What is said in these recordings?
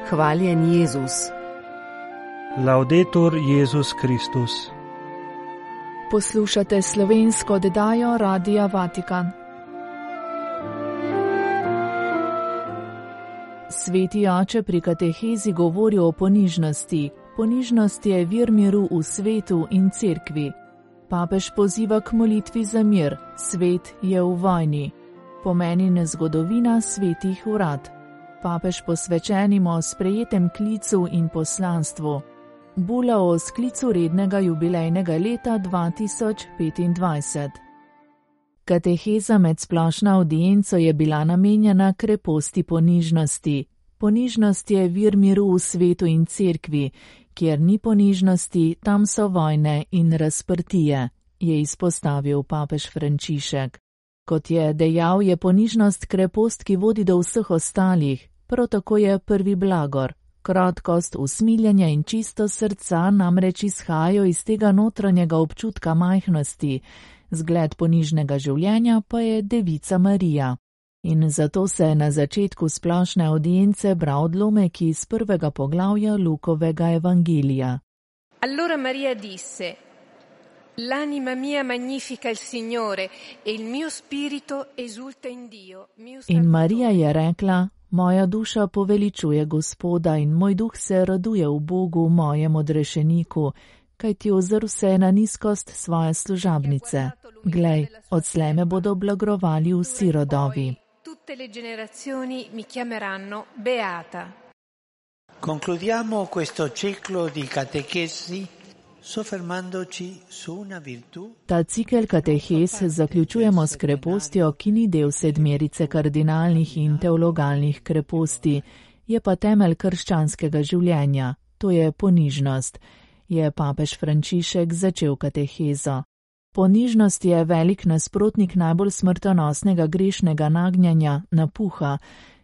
Hvaljen Jezus. Laudetur Jezus Kristus. Poslušate slovensko oddajo Radia Vatikan. Sveti oče pri katehezi govori o ponižnosti. Ponižnost je vir miru v svetu in cerkvi. Papež poziva k molitvi za mir. Svet je v vojni. Pomeni zgodovina svetih urad. Papež posvečenim o sprejetem klicu in poslanstvu. Bula o sklicu rednega jubilejnega leta 2025. Kateheza med splošno avdienco je bila namenjena kreposti ponižnosti. Ponižnost je vir miru v svetu in cerkvi. Kjer ni ponižnosti, tam so vojne in razprtije, je izpostavil papež Frančišek. Kot je dejal, je ponižnost krepost, ki vodi do vseh ostalih. Prav tako je prvi blagor. Krotkost, usmiljenje in čisto srca namreč izhajajo iz tega notranjega občutka majhnosti. Zgled ponižnega življenja pa je Devica Marija. In zato se na začetku splošne avdience bral odlomek iz prvega poglavja Lukovega evangelija. Allora Maria disse: L'anima mia magnifica il Signore e il mio spirito esulta in Dio. In Marija je rekla: Moja duša poveličuje Gospoda in moj duh se raduje v Bogu, mojem odrešeniku, kajti ozrl se je na nizkost svoje služabnice. Glej, odslej me bodo blagrovali vsi rodovi. Tutte le generazioni mi chiameranno beata. Concludiamo questo ciclo di catechesi soffermandoci su una virtù. Ta cikel katehes zaključujemo s krepostjo, ki ni del sedmerice kardinalnih in teologalnih kreposti, je pa temelj krščanskega življenja, to je ponižnost, je papež Frančišek začel katehezo. Ponižnost je velik nasprotnik najbolj smrtonosnega grešnega nagnjanja, napuha,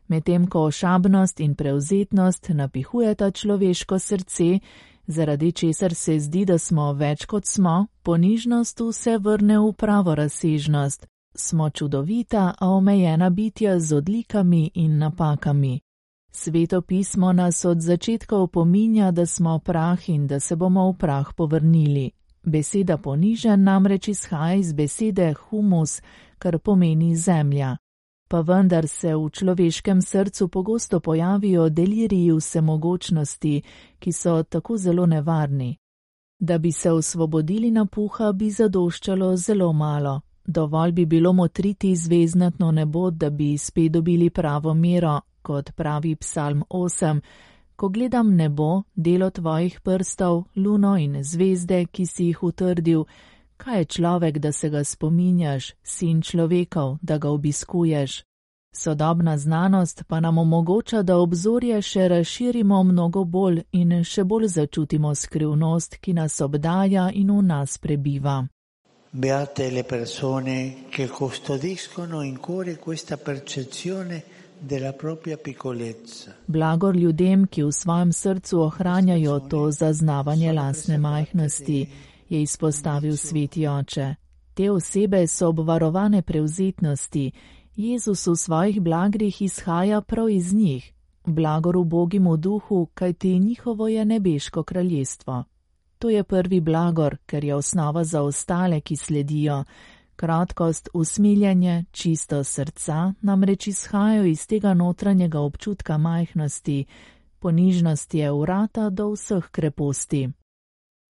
medtem ko ošabnost in prevzetnost napihujeta človeško srce, zaradi česar se zdi, da smo več kot smo, ponižnost vse vrne v pravo razsežnost. Smo čudovita, a omejena bitja z odlikami in napakami. Sveto pismo nas od začetka opominja, da smo prah in da se bomo v prah povrnili. Beseda ponižen namreč izhaja iz besede humus, kar pomeni zemlja. Pa vendar se v človeškem srcu pogosto pojavijo deliriji vsemogočnosti, ki so tako zelo nevarni. Da bi se osvobodili napuha, bi zadoščalo zelo malo. Dovolj bi bilo motriti zvezdnatno nebo, da bi spet dobili pravo mero, kot pravi Psalm 8. Ko gledam nebo, delo tvojih prstov, luno in zvezde, ki si jih utrdil, kaj je človek, da se ga spominjaš, sin človekov, da ga obiskuješ? Sodobna znanost pa nam omogoča, da obzorje še razširimo mnogo bolj in še bolj začutimo skrivnost, ki nas obdaja in v nas prebiva. Beate le persone che custodiscono in cuore questa percezione della propria piccolezza. Blagor ljudem, ki v svojem srcu ohranjajo to zaznavanje lastne majhnosti, je izpostavil sveti oče. Te osebe so obvarovane prevzetnosti. Jezus v svojih blagrih izhaja prav iz njih. Blagor ubogim v duhu, kajti njihovo je nebeško kraljestvo. To je prvi blagor, ker je osnova za ostale, ki sledijo. Krotkost, usmiljenje, čisto srca namreč izhajajo iz tega notranjega občutka majhnosti. Ponižnost je vrata do vseh kreposti.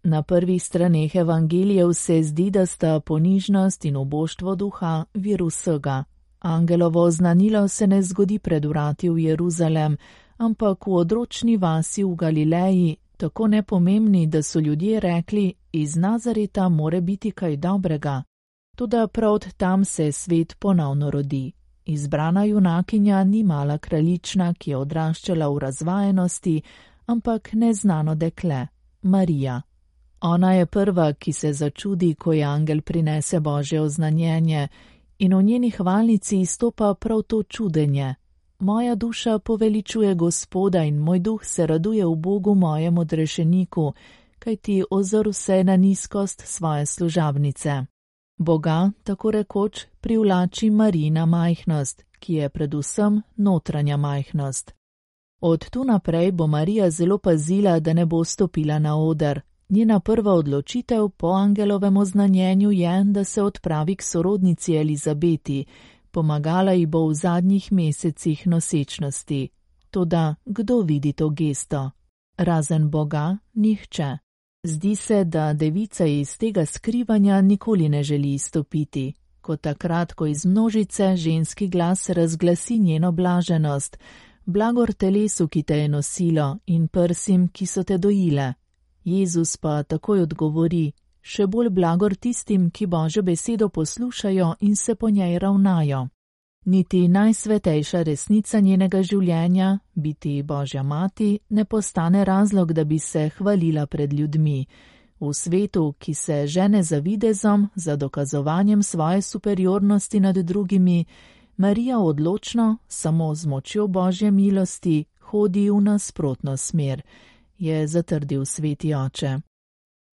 Na prvih straneh evangelijev se zdi, da sta ponižnost in uboštvo duha vir vsega. Angelovo oznanilo se ne zgodi pred vrati v Jeruzalem, ampak v odročni vasi v Galileji, tako nepomembni, da so ljudje rekli, iz Nazareta more biti kaj dobrega. Toda prav tam se svet ponovno rodi. Izbrana junakinja ni mala kraljična, ki je odraščala v razvajenosti, ampak neznano dekle, Marija. Ona je prva, ki se začudi, ko je angel prinese Božje oznanjenje, in v njeni hvalnici izstopa prav to čudenje. Moja duša poveličuje Gospoda in moj duh se raduje v Bogu mojem odrešeniku, kajti ozrl se na nizkost svoje služabnice. Boga, tako rekoč, privlači Marijina majhnost, ki je predvsem notranja majhnost. Od tu naprej bo Marija zelo pazila, da ne bo stopila na oder. Njena prva odločitev po angelovem oznanjenju je, da se odpravi k sorodnici Elizabeti. Pomagala ji bo v zadnjih mesecih nosečnosti. Toda kdo vidi to gesto? Razen Boga, nihče. Zdi se, da devica iz tega skrivanja nikoli ne želi izstopiti. Kot takrat, ko iz množice ženski glas razglasi njeno blaženost. Blagor telesu, ki te je nosilo, in prsim, ki so te dojile. Jezus pa takoj odgovori, še bolj blagor tistim, ki Božjo besedo poslušajo in se po njej ravnajo. Niti najsvetejša resnica njenega življenja, biti Božja mati, ne postane razlog, da bi se hvalila pred ljudmi. V svetu, ki se žene za videzom, za dokazovanjem svoje superiornosti nad drugimi, Marija odločno, samo z močjo Božje milosti, hodi v nasprotno smer, je zatrdil sveti oče.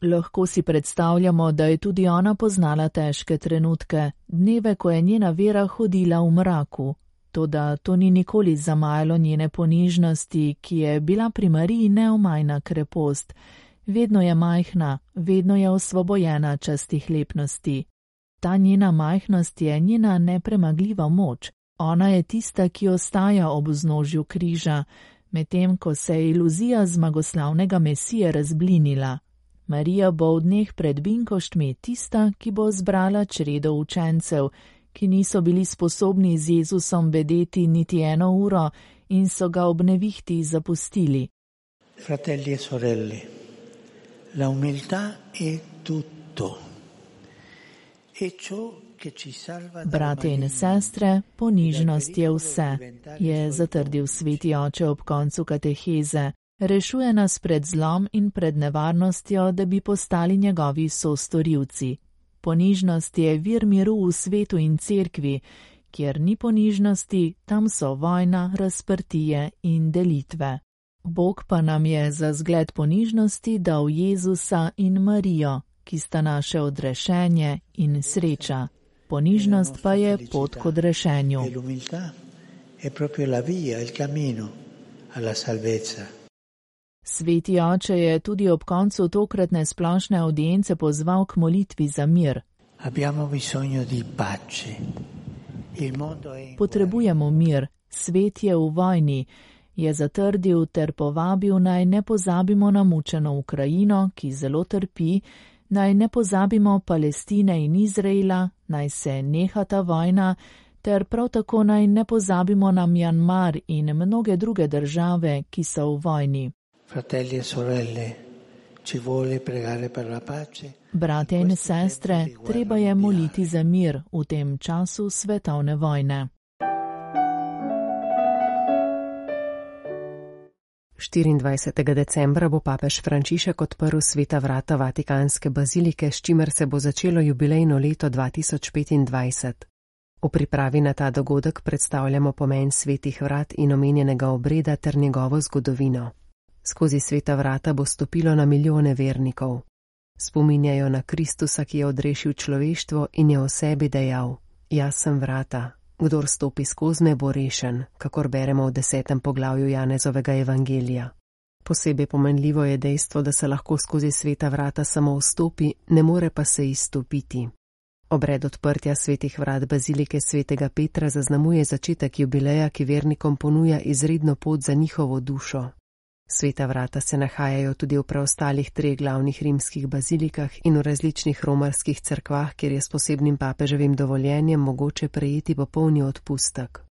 Lahko si predstavljamo, da je tudi ona poznala težke trenutke, dneve, ko je njena vera hodila v mraku. Toda to ni nikoli zamajalo njene ponižnosti, ki je bila pri Mariji neomajna krepost. Vedno je majhna, vedno je osvobojena častih lepnosti. Ta njena majhnost je njena nepremagljiva moč. Ona je tista, ki ostaja ob vznožju križa, medtem ko se je iluzija zmagoslavnega Mesije razblinila. Marija bo v dneh pred binkoštmi tista, ki bo zbrala čredo učencev, ki niso bili sposobni z Jezusom bedeti niti 1 uro in so ga ob nevihti zapustili. Fratelli e sorelle, la umiltà è tutto. Brate in sestre, ponižnost je vse, je zatrdil sveti oče ob koncu kateheze. Rešuje nas pred zlom in pred nevarnostjo, da bi postali njegovi sostorilci. Ponižnost je vir miru v svetu in cerkvi, kjer ni ponižnosti, tam so vojna, razprtije in delitve. Bog pa nam je za zgled ponižnosti dal Jezusa in Marijo, ki sta naše odrešenje in sreča. Ponižnost pa je pot k odrešenju. Sveti oče je tudi ob koncu tokratne splošne audience pozval k molitvi za mir. Potrebujemo mir, svet je v vojni, je zatrdil ter povabil, naj ne pozabimo na mučeno Ukrajino, ki zelo trpi, naj ne pozabimo Palestine in Izraela, naj se neha ta vojna, ter prav tako naj ne pozabimo na Mjanmar in mnoge druge države, ki so v vojni. Fratelli e sorelle, ci vuole pregare per la pace. Brate in sestre, treba je moliti za mir v tem času svetovne vojne. 24. decembra bo papež Frančišek odprl sveta vrata Vatikanske bazilike, s čimer se bo začelo jubilejno leto 2025. V pripravi na ta dogodek predstavljamo pomen svetih vrat in omenjenega obreda ter njegovo zgodovino. Skozi sveta vrata bo stopilo na milijone vernikov. Spominjajo na Kristusa, ki je odrešil človeštvo in je o sebi dejal: Jaz sem vrata. Kdor stopi skozi me, bo rešen, kakor beremo v 10. poglavju Janezovega evangelija. Posebej pomenljivo je dejstvo, da se lahko skozi sveta vrata samo vstopi, ne more pa se izstopiti. Obred odprtja svetih vrat bazilike svetega Petra zaznamuje začetek jubileja, ki vernikom ponuja izredno pot za njihovo dušo. Sveta vrata se nahajajo tudi v preostalih 3 glavnih rimskih bazilikah in v različnih romarskih cerkvah, kjer je s posebnim papeževim dovoljenjem mogoče prejeti popolni odpustek.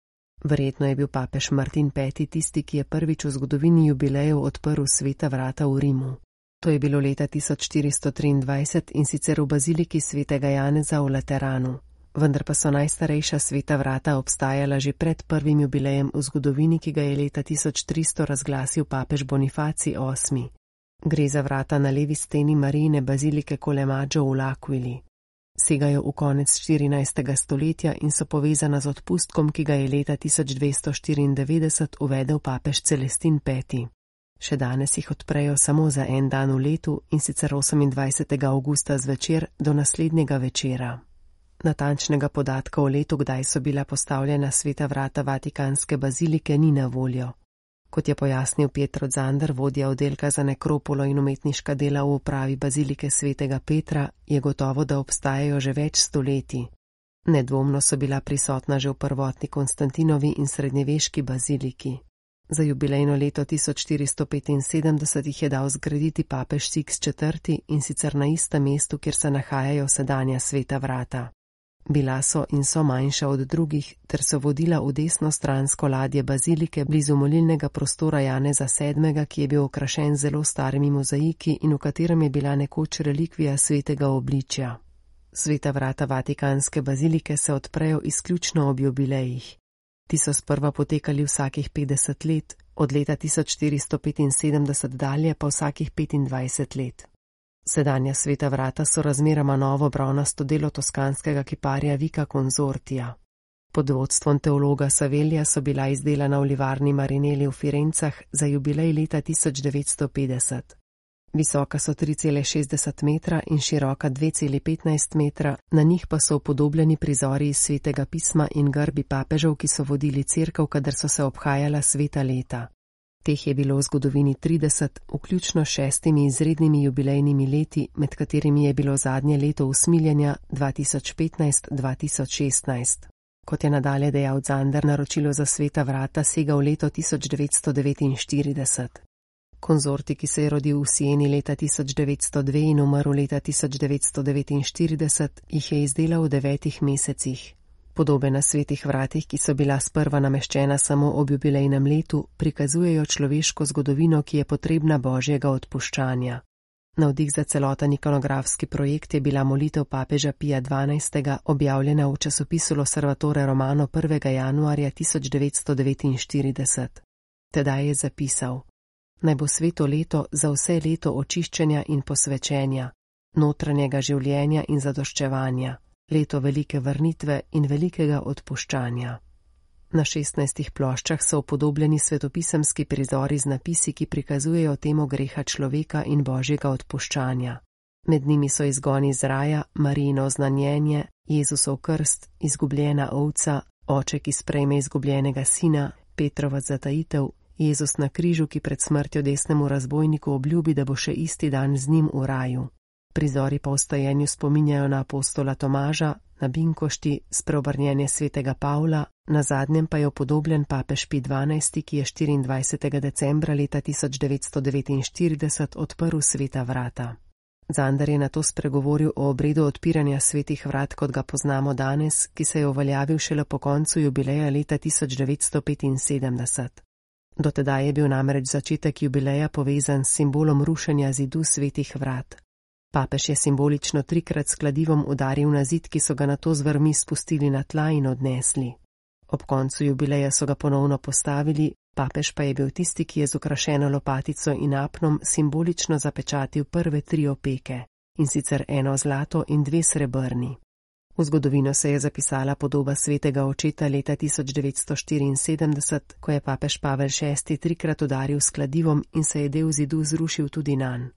Verjetno je bil papež Martin V. tisti, ki je prvič v zgodovini jubilejev odprl sveta vrata v Rimu. To je bilo leta 1423 in sicer v baziliki svetega Janeza v Lateranu. Vendar pa so najstarejša sveta vrata obstajala že pred prvim jubilejem v zgodovini, ki ga je leta 1300 razglasil papež Bonifacij VIII. Gre za vrata na levi steni Marijine bazilike Colemaggio v L'Aquili. Segajo v konec 14. stoletja in so povezana z odpustkom, ki ga je leta 1294 uvedel papež Celestin V. Še danes jih odprejo samo za en dan v letu, in sicer 28. avgusta zvečer do naslednjega večera. Natančnega podatka o letu, kdaj so bila postavljena sveta vrata Vatikanske bazilike, ni na voljo. Kot je pojasnil Pietro Zander, vodja oddelka za nekropolo in umetniška dela v upravi bazilike svetega Petra, je gotovo, da obstajajo že več stoletij. Nedvomno so bila prisotna že v prvotni Konstantinovi in srednjeveški baziliki. Za jubilejno leto 1475 jih je dal zgraditi papež Siks IV. In sicer na istem mestu, kjer se nahajajo sedanja sveta vrata. Bila so in so manjša od drugih, ter so vodila v desnostransko ladje bazilike blizu molilnega prostora Janeza VII., ki je bil okrašen zelo starimi mozaiki in v katerem je bila nekoč relikvija svetega obličja. Sveta vrata vatikanske bazilike se odprejo izključno ob jubilejih. Ti so sprva potekali vsakih 50 let, od leta 1475 dalje pa vsakih 25 let. Sedanja sveta vrata so razmeroma novo bronasto delo toskanskega kiparja Vika Consortia. Pod vodstvom teologa Savelija so bila izdelana v livarni Marinelli v Firencah za jubilej leta 1950. Visoka so 3,60 metra in široka 2,15 metra, na njih pa so upodobljeni prizori iz svetega pisma in grbi papežev, ki so vodili cerkev, kadar so se obhajala sveta leta. Teh je bilo v zgodovini 30, vključno 6 izrednimi jubilejnimi leti, med katerimi je bilo zadnje leto usmiljenja 2015-2016. Kot je nadalje dejal Zander, naročilo za sveta vrata sega v leto 1949. Konzorti, ki se je rodil v Sieni leta 1902 in umrl leta 1949, jih je izdelal v 9 mesecih. Podobe na svetih vratih, ki so bila sprva nameščena samo ob jubilejnem letu, prikazujejo človeško zgodovino, ki je potrebna Božjega odpuščanja. Navdih za celoten ikonografski projekt je bila molitev papeža Pija XII. Objavljena v časopisu L'Osservatore Romano 1. januarja 1949. Tedaj je zapisal: Naj bo sveto leto za vse leto očiščenja in posvečenja, notranjega življenja in zadoščevanja, leto velike vrnitve in velikega odpuščanja. Na 16 ploščah so upodobljeni svetopisemski prizori z napisi, ki prikazujejo temo greha človeka in Božjega odpuščanja. Med njimi so izgoni iz raja, Marijino oznanjenje, Jezusov krst, izgubljena ovca, oče, ki sprejme izgubljenega sina, Petrova zatajitev, Jezus na križu, ki pred smrtjo desnemu razbojniku obljubi, da bo še isti dan z njim v raju. Prizori pa v stajenju spominjajo na apostola Tomaža, na binkošti, spreobrnjenje svetega Pavla, na zadnjem pa je upodobljen papež Pij XII., ki je 24. decembra leta 1949 odprl sveta vrata. Zander je nato spregovoril o obredu odpiranja svetih vrat, kot ga poznamo danes, ki se je uveljavil šele po koncu jubileja leta 1975. Do tedaj je bil namreč začetek jubileja povezan s simbolom rušenja zidu svetih vrat. Papež je simbolično 3-krat s kladivom udaril na zid, ki so ga nato z vrvmi spustili na tla in odnesli. Ob koncu jubileja so ga ponovno postavili, papež pa je bil tisti, ki je z okrašeno lopatico in apnom simbolično zapečatil prve 3 opeke, in sicer 1 zlato in 2 srebrni. V zgodovino se je zapisala podoba svetega očeta leta 1974, ko je papež Pavel VI 3-krat udaril s kladivom in se je del zidu zrušil tudi nanj.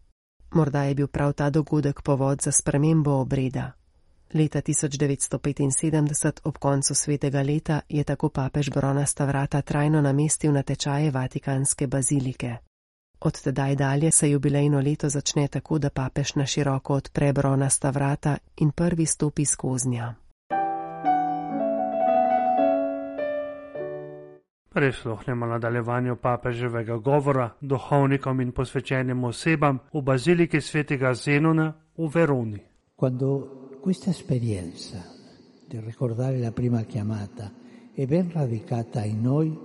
Morda je bil prav ta dogodek povod za spremembo obreda. Leta 1975, ob koncu svetega leta, je tako papež bronasta vrata trajno namestil na tečaje vatikanske bazilike. Od tedaj dalje se jubilejno leto začne tako, da papež na široko odpre bronasta vrata in prvi stopi skoznja. Prisluhnemo nadaljevanju papeževega govora duhovnikom in posvečenim osebam v baziliki svetega Zenona v Veroni. Quando questa esperienza di ricordare la prima chiamata è ben radicata in noi,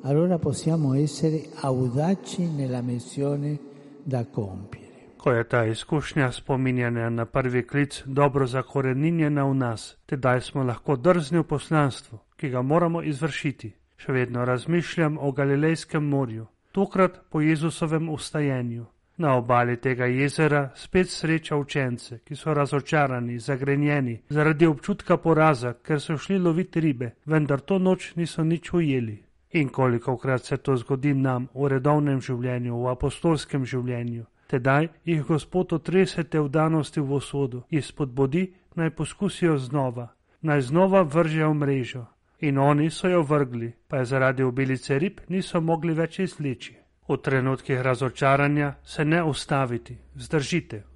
allora possiamo essere audaci nella missione da compiere. Ko je ta izkušnja spominjanja na prvi klic dobro zakoreninjena v nas, tedaj smo lahko drzni v poslanstvu, ki ga moramo izvršiti. Še vedno razmišljam o Galilejskem morju, tokrat po Jezusovem vstajenju. Na obali tega jezera spet sreča učence, ki so razočarani, zagrenjeni, zaradi občutka poraza, ker so šli loviti ribe, vendar to noč niso nič ujeli. In kolikokrat se to zgodi nam v redovnem življenju, v apostolskem življenju. Tedaj jih Gospod otrese te vdanosti v usodo, jih spodbudi, naj poskusijo znova, naj znova vržejo mrežo. in oni so jo vrgli, pa je zaradi obilice rib niso mogli več izvleči. V trenutkih razočaranja se ne ustaviti,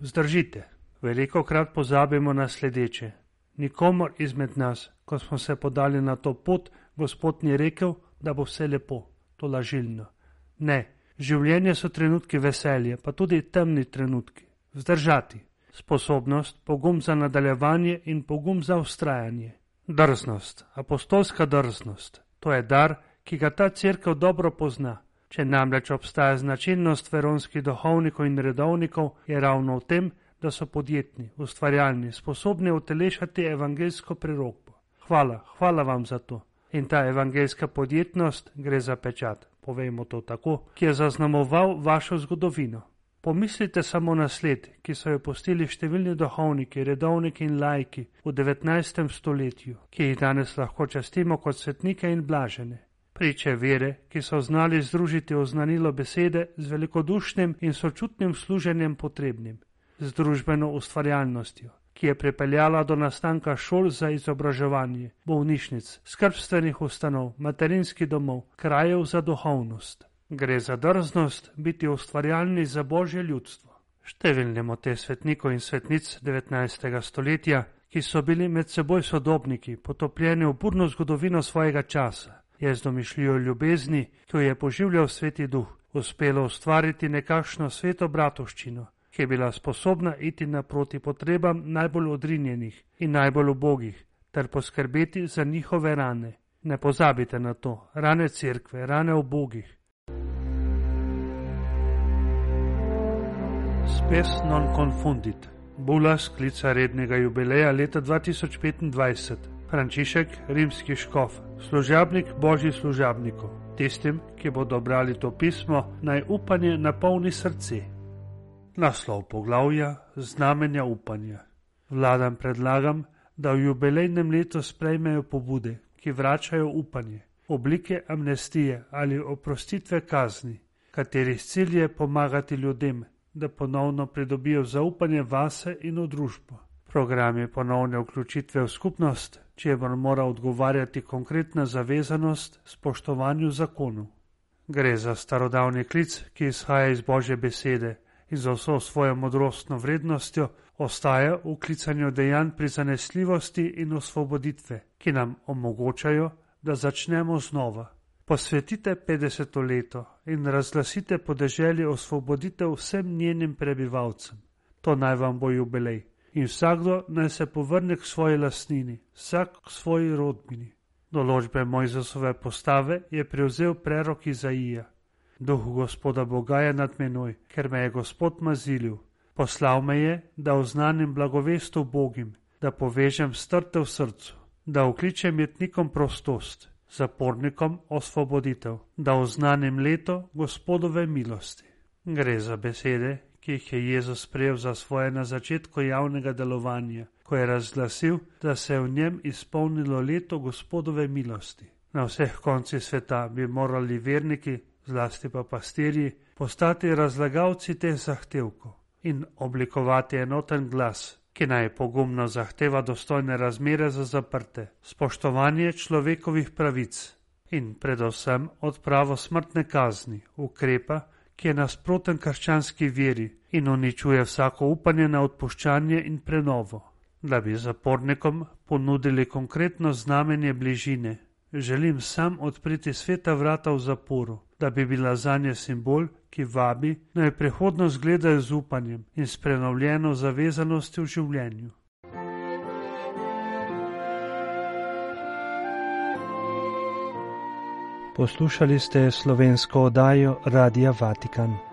vzdržite. Velikokrat pozabimo na sledeče. Nikomor izmed nas, ko smo se podali na to pot, Gospod ni rekel, da bo vse lepo, to lažilno. Ne, življenje so trenutki veselje, pa tudi temni trenutki. Vzdržati. Sposobnost, pogum za nadaljevanje in pogum za vztrajanje. Drznost, apostolska drznost. To je dar, ki ga ta cerkev dobro pozna. Če namreč obstaja značilnost veronskih duhovnikov in redovnikov, je ravno v tem, da so podjetni, ustvarjalni, sposobni utelešati evangeljsko prerokbo. Hvala vam za to. In ta evangeljska podjetnost gre za pečat, povejmo to tako, ki je zaznamoval vašo zgodovino. Pomislite samo na sled, ki so jo pustili številni duhovniki, redovniki in laiki v 19. stoletju, ki jih danes lahko častimo kot svetnike in blažene. Priče vere, ki so znali združiti oznanilo besede z velikodušnim in sočutnim služenjem potrebnim, z družbeno ustvarjalnostjo, ki je pripeljala do nastanka šol za izobraževanje, bolnišnic, skrbstvenih ustanov, materinskih domov, krajev za duhovnost. Gre za drznost biti ustvarjalni za Božje ljudstvo. Številnimo te svetnikov in svetnic 19. stoletja, ki so bili med seboj sodobniki, potopljeni v burno zgodovino svojega časa, je z domišljijo ljubezni, ki jo je poživljal Sveti Duh, uspelo ustvariti nekakšno sveto bratovščino, ki je bila sposobna iti naproti potrebam najbolj odrinjenih in najbolj ubogih, ter poskrbeti za njihove rane. Ne pozabite na to, rane cerkve, rane ubogih. Spes non confundit. Bula sklica rednega jubileja leta 2025. Frančišek, rimski škof, služabnik Božjih služabnikov. Tistim, ki bodo brali to pismo, naj upanje napolni srce. Naslov poglavja: Znamenja upanja. Vladam predlagam, da v jubilejnem letu sprejmejo pobude, ki vračajo upanje, oblike amnestije ali oprostitve kazni, katerih cilj je pomagati ljudem, da ponovno pridobijo zaupanje vase in v družbo. Program je ponovne vključitve v skupnost, čemur mora odgovarjati konkretna zavezanost spoštovanju zakonov. Gre za starodavni klic, ki izhaja iz Božje besede in za vso svojo modrostno vrednostjo ostaja v klicanju dejanj prizanesljivosti in osvoboditve, ki nam omogočajo, da začnemo znova. Posvetite 50. leto in razglasite podeželje osvoboditev vsem njenim prebivalcem. To naj vam bo jubilej. In vsakdo naj se povrne k svoji lastnini, vsak k svoji rodbini. Določbe Mojzesove postave je prevzel prerok Izaija. Duh Gospoda Boga je nad menoj, ker me je Gospod mazilil. Poslal me je, da oznanim blagovest ubogim, da povežem strte v srcu, da vkličem jetnikom prostost, zapornikom osvoboditev, da oznanim leto Gospodove milosti. Gre za besede, ki jih je Jezus sprejel za svoje na začetku javnega delovanja, ko je razglasil, da se je v njem izpolnilo leto Gospodove milosti. Na vseh koncih sveta bi morali verniki, zlasti pa pastirji, postati razlagalci teh zahtevkov in oblikovati enoten glas, ki naj pogumno zahteva dostojne razmere za zaprte, spoštovanje človekovih pravic in predvsem odpravo smrtne kazni, ukrepa, ki je nasproten krščanski veri in uničuje vsako upanje na odpuščanje in prenovo. Da bi zapornikom ponudili konkretno znamenje bližine, želim sam odpreti sveta vrata v zaporu, da bi bila zanje simbol, ki vabi, naj prihodnost gledajo z upanjem in s prenovljeno zavezanostjo v življenju. Poslušali ste slovensko oddajo Radia Vatikan.